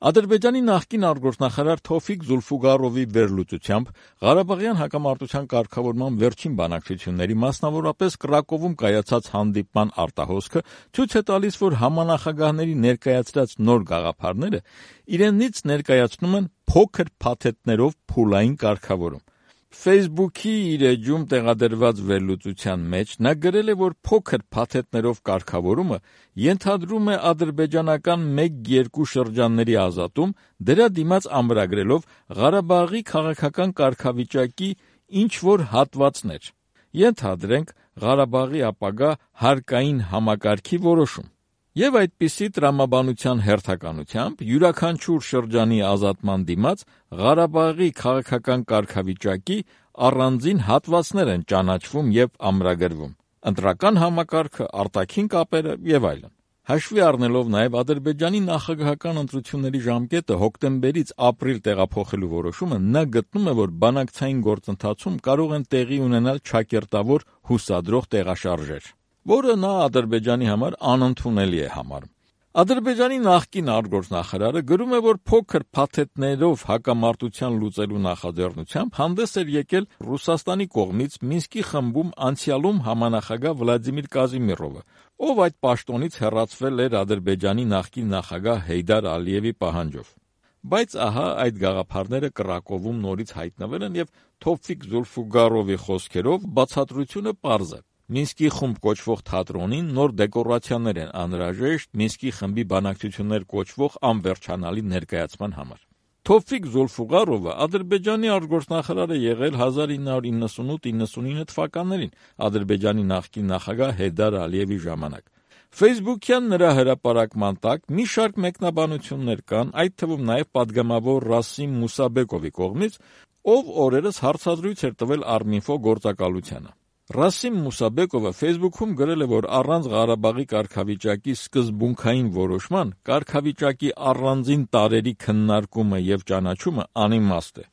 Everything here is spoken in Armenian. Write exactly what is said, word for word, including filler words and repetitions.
Ադրբեջանի նախկին արտգործնախարար Թովֆիկ Զուլֆուգարովի վերլուծությամբ Ղարաբաղյան հակամարտության կարգավորման վերջին բանակցությունների, մասնավորապես Կրակովում կայացած հանդիպման արտահոսքը ցույց է տալիս, որ համանախագահների ներկայացրած նոր գաղափարները իրենից ներկայացնում են փոքր փաթեթներով փուլային կարգավորում։ Facebook-ի իր էջում տեղադրված վերլուծության մեջ նա գրել է, որ փոքր փաթեթներով կարգավորումը ենթադրում է ադրբեջանական մեկ-երկու շրջանների ազատում, դրա դիմաց ամրագրելով Ղարաբաղի քաղաքական կարգավիճակի ինչ-որ հատվածներ։ Ենթադրենք Ղարաբաղի ապագա հարկային համակարգի որոշում։ Եվ այդպիսի տրամաբանության հերթականությամբ յուրաքանչյուր շրջանի ազատման դիմաց Ղարաբաղի քաղաքական կարգավիճակի առանձին հատվածներ են ճանաչվում եւ ամրագրվում՝ ընտրական համակարգը, արտաքին կապերը եւ այլն։ Հաշվի առնելով նաեւ Ադրբեջանի նախագահական ընտրությունների ժամկետը հոկտեմբերից ապրիլ տեղափոխելու որոշումը, նա գտնում է, որ բանակցային գործընթացում կարող են տեղի ունենալ չակերտավոր հուսադրող տեղաշարժեր, որը նա Ադրբեջանի համար անընդունելի է համարում։ Ադրբեջանի նախկին արտգործնախարարը գրում է, որ փոքր փաթեթներով հակամարտության լուծելու նախաձեռնությամբ հանդես էր եկել Ռուսաստանի կողմից Մինսկի խմբում անցյալում համանախագահ Վլադիմիր Կազիմիրովը, ով այդ պաշտոնից հեռացվել էր Ադրբեջանի նախկին նախագահ Հեյդար Ալիևի պահանջով։ Բայց ահա այդ գաղափարները Կրակովում նորից հայտնվել են եւ Թովֆիկ Զուլֆուգարովի խոսքերով բացատրությունը պարզ է։ Մինսկի խումբ կոչվող թատրոնին նոր դեկորացիաներ են անհրաժեշտ Մինսկի խմբի բանակցություններ կոչվող անվերջանալի ներկայացման համար։ Թովֆիկ Զուլֆուգարովը Ադրբեջանի արտգործնախարար է եղել հազար ինը հարյուր իննսունութ իննսունինը թվականներին Ադրբեջանի նախկին նախագահ Հեյդար Ալիևի ժամանակ։ Facebook-յան նրա հրապարակման տակ մի շարք մեկնաբանություններ կան, այդ թվում նաև պատգամավոր Ռասիմ Մուսաբեկովի կողմից, ով օրերս հարցազրույց էր տվել Arminfo գործակալությանը։ Ռասիմ Մուսաբեկովը Facebook-ում գրել է, որ առանց Ղարաբաղի կարգավիճակի սկզբունքային որոշման կարգավիճակի առանձին տարրերի քննարկումը եւ ճանաչումը անիմաստ է։